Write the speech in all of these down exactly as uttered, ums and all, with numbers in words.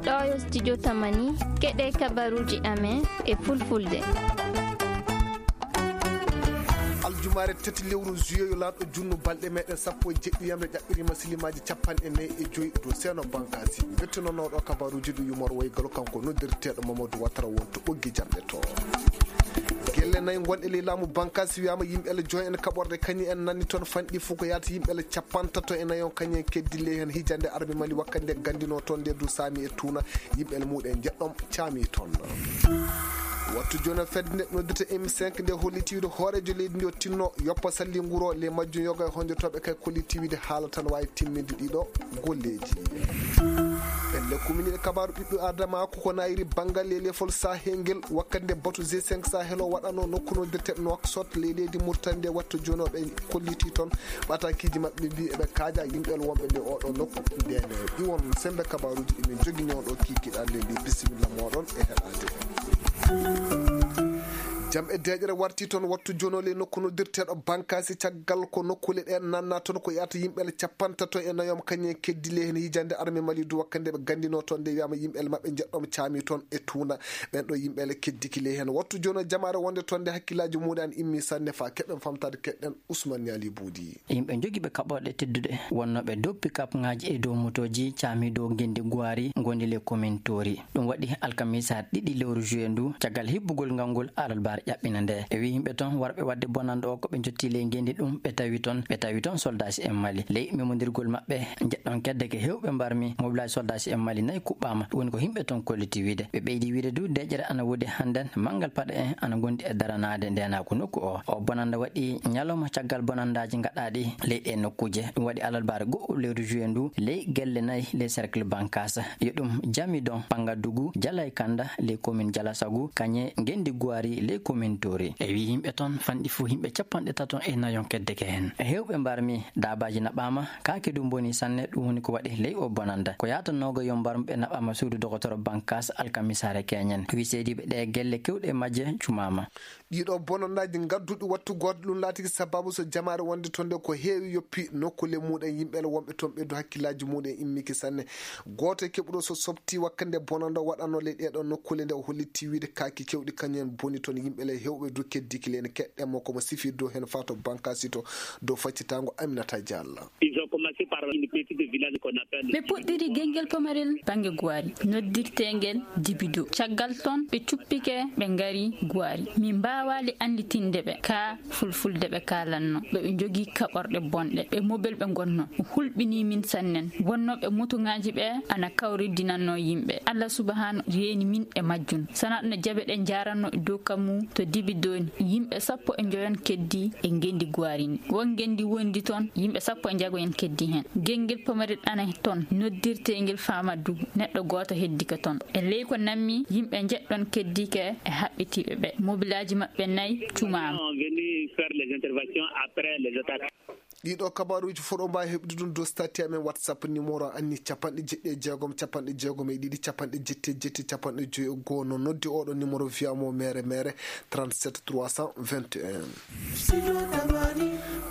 Ɗo yo studio Tamani, keɗe kabaruji amen e fulfulde. Aljumaare tati lewru juillet yo laaɗo junnu balɗe meɗen sappo e jeɗɗi yamre ƴaɓɓiri masilimaaji capanɗe nayi e joyi dow Seeno Bankasi. Bettinonooɗo kabaruji ɗo yumor woygalo kanko noddirteeɗo Mamadou Ouattara wonto ɓoggi jamɗe to. Gelle nayi gonɗe ley laamu Bankasi wiyama yimɓe le joy en kaɓorɗe kañi en nanni toon fanɗi fof ko yaata yimɓe le capantato e nayon kañi en keddi ley heen hijande arme Mali wakkande gandino toon nde du saami e tuuna yimɓe le muɗen jeɗɗom caami toon. Wattu jooni fedde nde noddirta M cinq nde holliti wiide hooreejo leydi ndi o tinno yoppa salli nguro le majjum yoga e honjotooɓe kay kolliti wiide haala tan waawi timminde ɗiɗo golleeji. Pelle kuminiɗe kabaaru ɓiɓɓe adama ko ko nayiri banngal e lefol sahel ngel wakkande batu G cinq sahel o waɗano nokku noddirte Nouakchott ley leydi Mauritanie nde wattu jooni o ɓe kolliti toon ɓatakiiji maɓɓe mbi eɓe kaaja yimɓe wonɓe nde oɗo nokku ndene iwon sembe kabaruji ɗi min jogi ñawɗo kikiɗa nde mbi bisimilla moɗon e heɗade. Jam e deeƴere warti toon wattu jooni o le nokku noddirteɗo bankasi caggal ko nokkule ɗen nanna toon ko yata yimɓe le capantato e nayom kañum en keddi le heen hijande arme mali du wakkande ɓe gandino toon nde wiyama yimɓe le maɓɓe jeɗɗom caami toon e tuuna. Ɓen ɗo yimɓe le keddiki le heen wattu jooni o jamaare wonde toon nde hakkillaji muɗum an immi sanne fa keɓen famtade keɗɗen Ousmane Niali Boudi. Yimɓe jogiiɓe kaɓorɗe tedduɗe wonnooɓe dow pikapŋaaji e dow motooji caami dow ngenndi Guwari ngondi le commune Toori. Ɗum waɗi alkamisaare ɗiɗi lewru juillet ndu, caggal hibbugol ngal ngol alarbaare ƴaɓɓina nde. E wii yimɓe toon warɓe waɗde bonannde o ko ɓe njotti ley ngenndi ɗum, ɓe tawi toon, ɓe tawi toon soldaaji en Mali. Ley memondirgol maɓɓe, njeɗɗon kedde ke heewɓe mbarmi mobilaaji soldaaji en Mali nayi kuɓɓaama. Ɗum woni ko yimɓe toon kolliti wiide. Ɓe ɓeydi wiide du, deeƴere ana woodi hannden, manngal paɗe en ana ngondi e daranaade ndeenaagu nokku o. O bonannda waɗi ñalawma caggal bonanndaaji gaɗaaɗi ley ɗee nokkuuje. Ɗum waɗi alarbaare go'o lewru juillet ndu, ley gelle nayi ley cercle Bankasa. Yo ɗum Jamidon, Pangadugu, Jalay Kanda, ley commune Jalasagu, kañe ngenndi Guwari, ley commune Toori. E wii yimɓe toon fanɗi fof yimɓe capanɗe tato e nayon keddeke heen. E heewɓe mbarmi, daabaaji naɓaama, kaake du mboni sanne, ɗum woni ko waɗi ley o bonannda. Ko yaatanooga yo mbarmi ɓe naɓaama suudu dogotoro Bankas alkamisaare keñen. Wii seediiɓe ɗee gelle keewɗe e majje cumaama. Ɗiɗo bonanndaji ngadduɗi wattu gooto ɗum laatiki sababu so jamaare wonde toon nde ko heewi yoppi nokkule muɗen yimɓe le wonɓe toon ɓeydu hakkillaji muɗen immiki sanne. Gooto e keɓuɗo so softi wakkande bonannda waɗano ley ɗeɗo nokkule nde o hollitti wiide kaaki kewɗi kañum en boni toon yimɓe le hewɓe du keddiki le ene keɗɗen mo komo sifi dow heen fato Bankasi to dow faccitango Aminata Diallo. Ils ont commencé par une petite village qu'on appelle Ɓe puɗɗiri gengel pamarel bannge Guwari, noddirteengel Dibido. Caggal toon, ɓe cuppike, ɓe ngari Guwari. Min mbaawaali annditinde ɓe ka fulfulde ɓe kaalanno. Ɓe, ɓe njogii kaɓorɗe bonɗe. Ɓe mobel ɓe ngonno. O hulɓinii min sannen. Wonnooɓe motoŋaaji ɓe ana kawridinannoo yimɓe. Allah subhaanahu reeni min e majjum. Sanaa ɗum no jaɓe ɗe njaaranno e dow kammu to Dibido ni. Yimɓe sappo e njoyon keddii e ngenndi Guwari ni. Won ngenndi wondi toon, yimɓe sappo e njago en keddii heen. Gengel pamarel ana toon, noddirteengel Famadugu, neɗɗo gooto heddike toon. E ley ko nammi, yimɓe njeɗɗon keddike e haɓɓitiiɓe ɓe. Mobilaaji maɓɓe nayi cumaama. On venu faire les interventions après les attaques. Ɗiɗo kabaruuji fof ɗo mbaawi heɓde ɗum dow statut amen WhatsApp numéro anni capanɗe jeɗɗi e jeegom, capanɗe jeegom e ɗiɗi, capanɗe jetti e jetti, capanɗe joyi e goo. No noddi oɗo numéro via mo mere mere trente-sept trois cent vingt et un.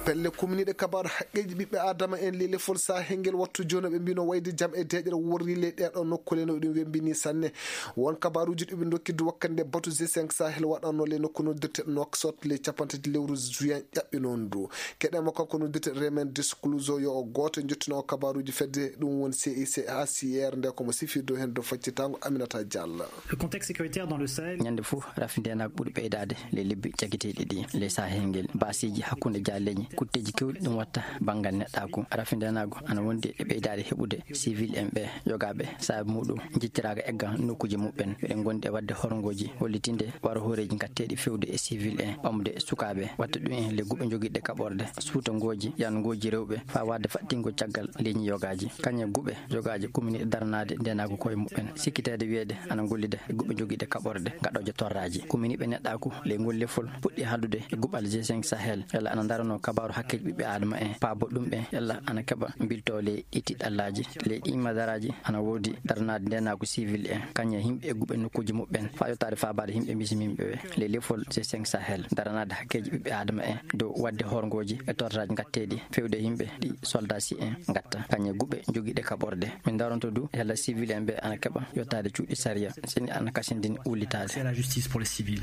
Pelle kumniiɗe kabaaru haqqeeji ɓiɓɓe Aadama en lelefol sahel ngel wattu jooni ɓe mbino wayde jam e deeƴere worri ley ɗeɗo nokkule no ɗum wembini sanne. Won kabaruuji ɗi ɓe ndokki du wakkande batu G cinq Sahel waɗanno le nokku noddirte Nouakchott le capanɗe tati lewru juin ƴaɓɓi noon du. Keɗen mo kanko noddirte Remen Descluso yo o gooto e njottino o kabaruuji fedde ɗum woni C I C A C R nde komo sifirde heen dow faccitango Aminata Diallo. Le contexte sécuritaire dans le Sahel. Ñande fof rafi ndenagu ɓuri ɓeydaade le lebbi jagiteeɗi ɗi le Sahel ngel. Baasiiji hakkunde jaalleeji kutteeji kewɗi ɗum watta banngal neɗɗaaku. Rafi ndenagu ana wondi e ɓeydaade heɓude civil en ɓe yogaaɓe saabi muɗum njittiraaka egga nokkuuji muɓɓen. Eɗen ngondi e waɗde horngooji hollitinde waro hooreeji ngatteeɗi fewde e civil en ɓamde sukaaɓe watta ɗum en le guɓe jogiiɗe kaɓorde suutangooji yannugooji rewɓe faa waɗde faɗɗingol caggal leñi yogaaji. Kañe guɓe yogaaji kumini daranaade ndenagu koye muɓɓen sikkiteede wiyeede ana gollida e guɓe jogiiɗe kaɓorde gaɗooje torraaji. Kuminiiɓe neɗɗaaku le ngol lefol puɗɗi haaldude e guɓal G cinq Sahel yalla ana ndaranoo kabaaru hakkeeji ɓiɓɓe aadama en, paabo ɗum ɓen, yalla ana keɓa bilto ley ɗi tiɗɗallaaji, ley ɗi madaraaji, ana woodi daranaade ndeenaagu civil en, kañum e yimɓe egguɓe nokkuuji muɓɓen, faa yottaade faabaade yimɓe misiminɓe ɓe. Ley lefol G cinq Sahel, daranaade hakkeeji ɓiɓɓe aadama en dow waɗde horngooji e tortaaji ngatteeɗi, fewde yimɓe ɗi soldaasi en ngatta, kañum e guɓe jogiiɗe kaɓorɗe. Min daronto du, yalla civil en ɓe ana keɓa yottaade cuuɗi sariya, sini ana kasindin wullitaade. C'est la justice pour les civils.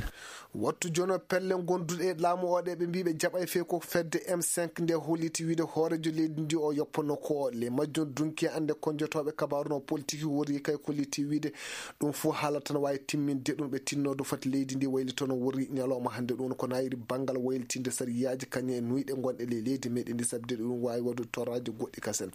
Wattu jono pelle gonduɗe e laamu o ɗe ɓe mbii ɓe jaɓay fee ko fedde M cinq nde holliti wiide hooreejo leydi ndi o yoppono ko le majjum dunki ande konjotooɓe kabaaru no politiki wori kay kolliti wiide ɗum fof haala tan waawi timminde ɗum ɓe tinnodo foti leydi ndi waylitono wori ñalawma hannde ɗum ko naayiri banngal waylitinde sariyaaji kañum e nuyɗe gonɗe ley leydi meɗen ndi sabde ɗum waawi waɗude toraaji goɗɗi kasen.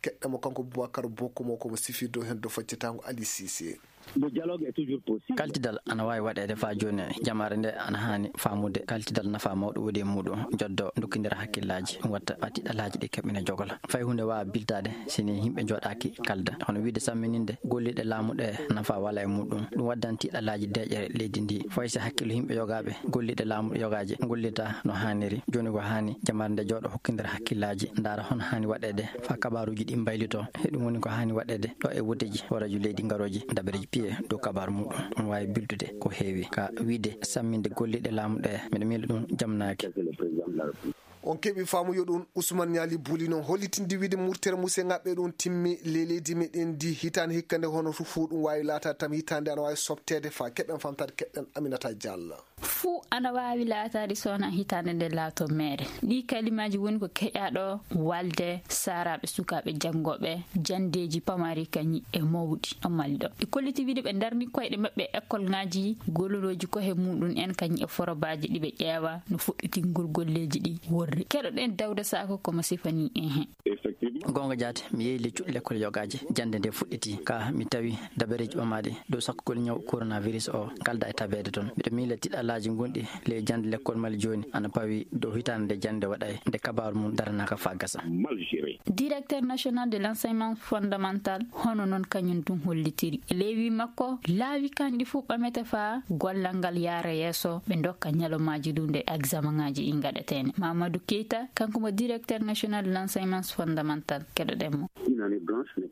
Keɗɗamo kanko Boubacar Bokko mo komo sifirde o heen do faccatango Ali Cissé. Le dialogue est toujours possible. Kaltidal ana waawi waɗeede faa jooni. Jamaare nde ana haani faamude kaltidal nafa mawɗo woodi e muuɗum, joddo ndokkindira hakkillaaji, ɗum watta faa tiɗɗallaaji ɗi keɓina jogol. Fay huunde waawa biltaade si ni yimɓe njooɗaaki kalda. Hono wiide sammininde golliiɗe laamu ɗe nafa wala e muuɗum. Ɗum waddan tiɗɗallaaji deeƴere leydi ndi. Fay si hakkillo yimɓe yogaaɓe golliiɗe laamu yogaaji gollita no haaniri. Jooni ko haani jamaare nde jooɗo hokkindira hakkillaaji, ndaara hono haani waɗeede faa kabaaruuji ɗi mbaylitoo. He ɗum woni ko haani waɗeede ɗo e wudeeji hooreejo leydi ngarooji dabareeji piye dow kabaaru muuɗum. Ɗum waawi biltude ko heewi. Ka wiide samminde golliiɗe laamu ɗe, miɗo miila ɗum jamnaaki. On keɓi faamu yo ɗum Ousmane Niali Buli noon hollitinde wiide murtere musengaɓe ɗum timmi le leydi meɗen ndi hitaande hikka nde hono to fuu ɗum waawi laataade tan hitaande ana waawi softeede faa keɓen famtaade keɗɗen Aminata Diallo. Fuu ana waawi laataade so wonaa hitaande nde laato meere. Ɗii kalimaaji woni ko keƴaaɗo walde saaraaɓe sukaaɓe janngooɓe janndeeji pamari kañi e mawɗi o mali ɗo. Ɓe kolliti wiide ɓe ndarni koyɗe maɓɓe e ekkolŋaaji golorooji ko he muuɗum en kañi e forobaaji ɗi ɓe ƴeewa no fuɗɗitingol golleeji ɗi worri. Keɗoɗen Dawda Sako komo sifanii en heen. Goonga jaati, mi yehi ley cuuɗi lekkol yogaaji. Jannde nde fuɗɗiti, ka mi tawi dabareeji ɓamaaɗi dow sakkugol ñaw coronavirus o kalda e tabeede toon. Miɗo miila tiɗɗallaaji gonɗi ley jannde lekkol Mali jooni ana pawi dow hitaande nde jannde waɗay, nde kabaaru mum daranaaka faa gasa. Directeur national de l'enseignement fondamental, hono noon kañum tun hollitiri. E ley wii makko, laawi kanɗi fuu ɓamete faa gollal ngal yaara yeeso, ɓe ndokka ñalawmaaji ɗum nde examenŋaaji ɗi ngaɗeteene. Mamadou Keita, kanko mo directeur national de l'enseignement fondamental, keɗoɗen mo.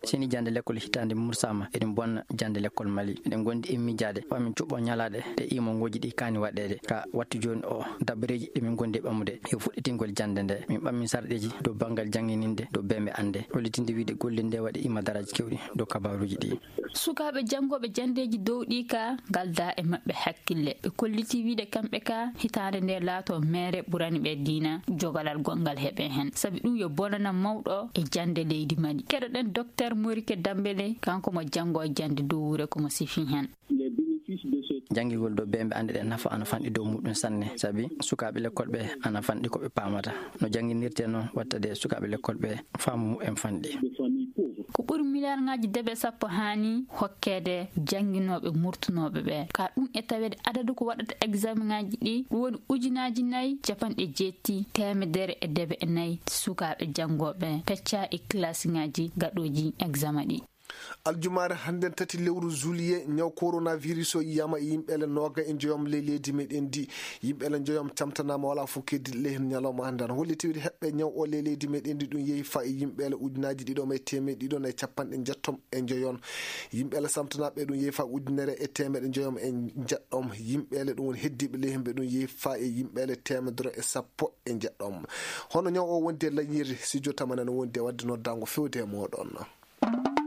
Sini jannde lekkol hitaande mursaama, eɗen bonna jannde lekkol Mali. Eɗen ngondi e miijaade, faa min cuɓɓo ñalaaɗe ɗe imongooji ɗi kaani waɗeede. Ka wattu jooni o, dabareeji ɗi min ngondi e ɓamude, e fuɗɗitingol jannde nde, min ɓammi sarɗeeji dow banngal janngininde, dow beembe annde. Hollitinde wiide golle nde waɗi ima daraaji keewɗi dow kabaaruuji ɗi. Sukaaɓe janngooɓe janndeeji dow ɗi ka, ngal da e maɓɓe hakkille. Ɓe kolliti wiide kamɓe ka, hitaande nde laato meere ɓurani ɓe diina jogalal gongal heɓe heen. Sabi ɗum yo bonana mawɗo e jannde leydi Mali. Keɗoɗen Docteur Morike Dambele, kanko mo janngo e jannde dow wure komo sifi heen. Janngigol dow beembe annde ɗe nafa ana fanɗi dow muɗum sanne, sabi sukaaɓe lekkol ɓe ana fanɗi ko ɓe paamata. No jannginirte noon watta de sukaaɓe lekkol ɓe faamu muɓɓen fanɗi. Ko ɓuri miliyaarŋaaji debe sappo haani hokkeede jannginooɓe murtunooɓe ɓe. Ka ɗum e taweede adadu ko waɗata examenŋaaji ɗi, ɗum woni ujunaaji nayi, capanɗe jeetti, teemedere e debe e nayi sukaaɓe janngooɓe pecca e kilasiŋaaji gaɗooji examen ɗi. Aljumaare hannden tati lewru juillet, ñaw coronavirus o yiyaama e yimɓeele nooga e njoyom ley leydi meɗen ndi. Yimɓeele njoyom camtanaama, wala fof keddiiɗo ley heen ñalawma hannden. Holliti wiide heɓɓe ñaw o ley leydi meɗen ndi, ɗum yehi faa e yimɓeele ujunaaji ɗiɗo e teemeɗɗe ɗiɗo e capanɗe njettom e njoyon. Yimɓeele samtanaaɓe ɗum yehi faa ujunere e teemeɗɗe njoyom e njeɗɗom. Yimɓeele ɗum woni heddiiɓe ley heen ɓe ɗum yehi faa e yimɓeele teemedere e sappo e njeɗɗom. Hono ñaw o wondi e lañiiri, studio Tamani no wondi e waɗde noddaango fewde e mooɗon.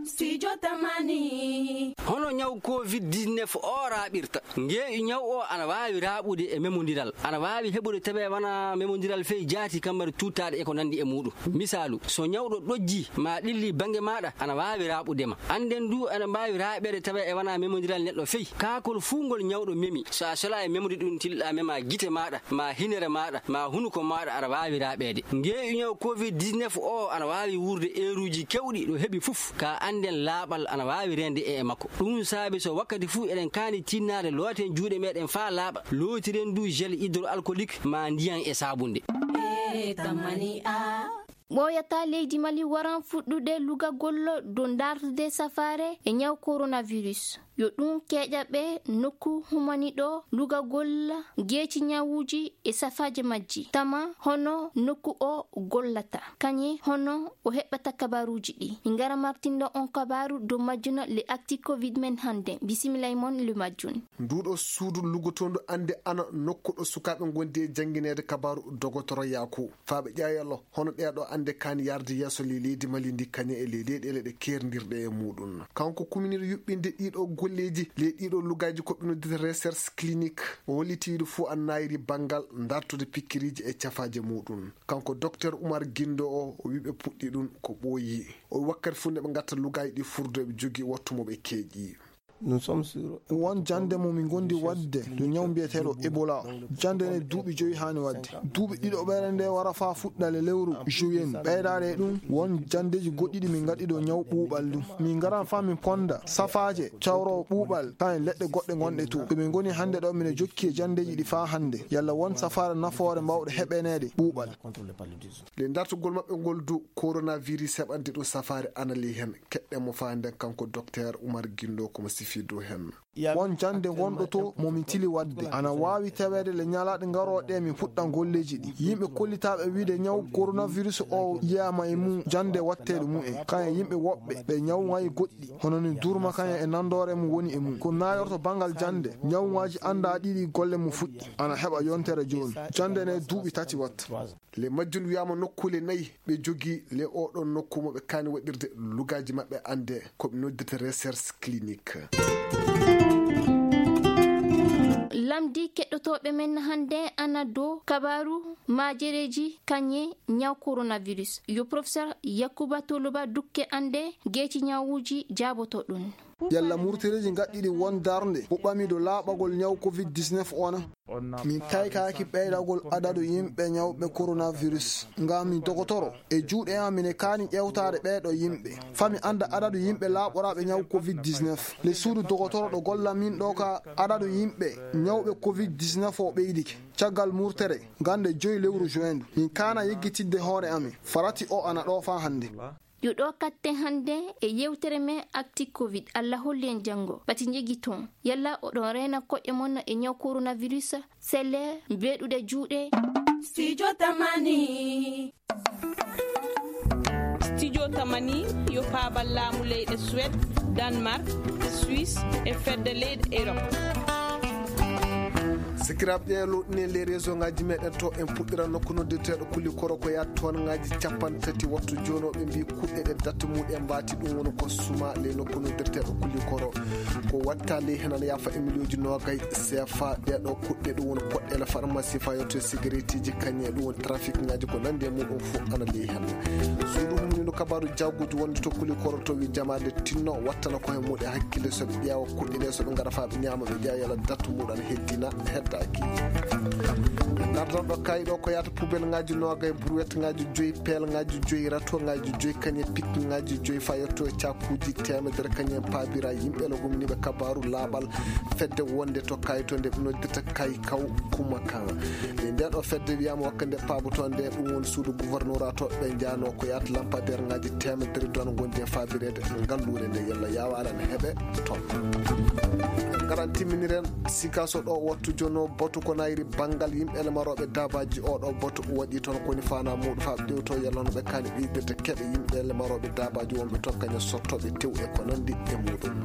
Studio Tamani. Hono ñaw covid dix-neuf o raaɓirta? Ngeeƴu ñaw o ana waawi raaɓude e memondiral. Ana waawi heɓude tabe wona memondiral fey jaati kammari tuttaaɗe e ko nanndi e muuɗum. Misaalu, so ñawɗo ɗojji ma ɗilli bannge maaɗa, ana waawi raaɓude ma. Annden du ana mbaawi raaɓeede tabe e wona memondiral neɗɗo fey. Kaakol fuu ngol ñawɗo memi, so a sela e memde ɗum tilɗa mema gite maaɗa, ma hinere maaɗa, ma hunuko maaɗa, aɗa waawi raaɓeede. Ngeeƴu ñaw covid dix-neuf o ana waawi wuurde eeruuji keewɗi ɗo heɓi fof, ka annden laaɓal ana waawi reende e makko. Ɗum saabi so wakkati fof eɗen kaani tinnaade looten juuɗe meɗen faa laaɓa, lootiren du gel hydroalcoolique ma ndiyan e saabunde. E tamani a. Ɓooyata leydi Mali waran fuɗɗude lugagol dow darnude safaare e ñaw coronavirus. Yo ɗum keƴa ɓe nokku humaniɗo lugagol geeci ñawuuji e safaaje majji, tama hono nokku o gollata, kañe hono o heɓata kabaruuji ɗi. Min ngara martindo on kabaru dow majjuna le acti covid men hannde. Bisimilla e mon le majjun. Nduɗo suudu lugotondu ande ana nokkuɗo sukaaɓe gondi e janngineede kabaru dogotoro Yaku. Faaɓe ƴaayalo hono ɗeeɗo ande kaani yarde yeeso ley leydi Mali ndi kañe e ley leyɗeele ɗe keerndirɗe e muɗum. Kanko kuminiiɗo yuɓɓinde ɗiɗo golleeji ley ɗiɗo lugaaji ko ɓe noddita recherche clinique. O holliti wiide fuu an naayiri banngal dartude pikkiriiji e cafaaje muɗum. Kanko Docteur Umar Gindo o, o wi ɓe puɗɗi ɗum ko ɓooyi. O wi wakkati fuu nde ɓe ngatta lugaaji ɗi furdo eɓe jogii wattu mo ɓe keeƴi. Won jannde mo min ngondi waɗde to ñaw mbiyeteeɗo Ebola o. Jannde nde duuɓi joyi haani waɗde. Duuɓi ɗiɗo ɓeere nde wara faa fuɗɗa le lewru juin. Ɓeydaade e ɗum, won janndeeji goɗɗi ɗi min ngaɗi ɗo ñaw ɓuuɓal ɗum. Min ngaran faa min ponda safaaje cawroowo ɓuuɓal, kañum leɗɗe goɗɗe ngonɗe to. Ɗo min ngoni hannde ɗo, mine jokki e janndeeji ɗi faa hannde. Yalla won safaare nafoore mbaawɗe heɓaneede ɓuuɓal. Le dartugol maɓɓe ngol du coronavirus heɓande ɗum safaare ana ley heen. Keɗɗen mo faa nden kanko Docteur Umar Gindo ko mo sifi dow heen. Won jannde ngonɗo to mo min tili waɗde. Ana waawi taweede le ñalaaɗe ngarooɗe ɗe min puɗɗan golleeji ɗi. Yimɓe kollitaaɓe wiide ñaw coronavirus o yiyaama e mum jannde watteeɗo mum en. Kañum e yimɓe woɓɓe ɓe ñaw ngayi goɗɗi. Hono ni durma kañum e nandoore mum woni e mum. Ko naayorto banngal jannde. Ñawŋaaji anndaa ɗiɗi golle mum fuɗɗi. Ana heɓa yontere jooni. Jannde nde duuɓi tati watta. Le majjun wiyaama nokkuule nayi ɓe jogii le oɗon nokku mo ɓe kaani waɗirde lugaaji maɓɓe ande ko ɓe noddita recherche clinique. Lamdi keɗɗotooɓe men hannde ana dow kabaaru maajereeji kañe ñaw coronavirus. Yo professeur Yakuba Toloba dukke ande geeci ñawuuji jaaboto ɗum. Yalla murtereeji ngaɗɗiɗi won darnde o ɓami dow laaɓagol ñaw covid dix-neuf o na? Min kaykaaki ɓeydagol adadu yimɓe ñawɓe coronavirus. Ngam mi dogotoro, e juuɗe am mine kaani ƴewtaade ɓeeɗo yimɓe. Fami annda adadu yimɓe laaɓoraaɓe ñaw covid dix-neuf. Le suudu dogotoro ɗo golla min ɗo ka adadu yimɓe ñawɓe covid dix-neuf o ɓeydike. Caggal murtere, gande joyi lewru juin ndu, min kaana yeggitidde hoore amin. Farati o ana ɗo faa hannde. Yo ɗo katte hannde e yewtere men Actu Covid. Allah holli en janngo. Pati njegi toon. Yalla oɗon reena koƴe mon e ñaw coronavirus? Selle mbeɗude juuɗe. Studio Tamani. Studio Tamani yo paabal laamu leyɗe Suède, Danemark, Suisse e fedde leyɗe Europe. Sikiraaɓe, ɗe loɗɗini les réseau ngaji meɗen to, en puɗɗira nokku noddirteeɗo Kuli Koro ko yaata toon ngaji capanɗe tati wattu jooni o, ɓe mbi kuɗɗe ɗe date muɗum mbaati, ɗum woni ko suma ley nokku noddirteeɗo Kuli Koro. Ko watta ley hen ana yaafa e miliyonji noogay seefa. Ɗeɗo kuɗɗe ɗum woni poɗɗele farmasi fayotto e sigaretiji kañe, ɗum woni trafic ngaji ko nandi e muɗum fof ana ley hen. Suudu humnindo kabaru jaggudu wonde to Kuli Koro to wi jamaade tinno wattana ko hen muɗe hakkille so ɓe ƴeewa kuɗɗe ɗe so ɓe ngara fa ɓe ñaama ɓe ƴeewa yala date muɗum ana heddina heddaki. Gardan ɗo kayi ɗo ko yaata poubelle ngaji noogay, brouette ngaji joyi, pelle ngaji joyi, rato ngaji joyi, kañe pique ngaji joyi fa yetto e cakkuji temedere kañe paabira yimɓe le humniɓe kabaru laaɓal fedde wonde to kayi to nde ɓe noddirta kayi kaw kuma kan. E nde ɗo fedde wiyama wakka nde paaboto nde ɗum woni suudu gouverneur to ɓe jano ko yaata lampadaire ngaji temedere don gondi e faabireede ngalluure nde yalla yawaala ne heɓe toon. Ngaran timminiren. Sikaso ɗo wattu jono batu ko nayri banngal yimɓe le marooɓe daabaaji. Oɗo batu waɗi toon ko woni faanaa muuɗum faa ɓe ƴeewto yalla no ɓe kaani ɓeydirde keɓe yimɓe le marooɓe daabaaji wonɓe toon kañum sottooɓe tew e ko nanndi e muuɗum.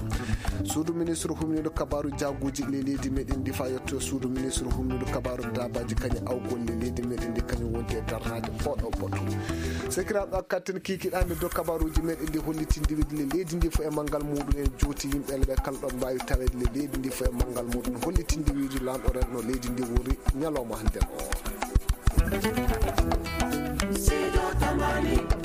Suudu ministre humniiɗo kabaaru jaaguuji le leydi meɗen ndi faa yetto suudu ministre humniiɗo kabaaru daabaaji kañum awgol le leydi meɗen ndi kañum wonti e darnaade oɗo batu. Sekiraaɓe, katten kiikiɗaami dow kabaaruuji meɗen ndi hollitinde wiide le leydi ndi fof e manngal muuɗum en jooti yimɓe le ɓe kala ɗon mbaawi taweede le leydi ndi fof e manngal muuɗum hollitinde wiide laamɗo renno leydi ndi wori ñalawma hannden o. Sido Tamani.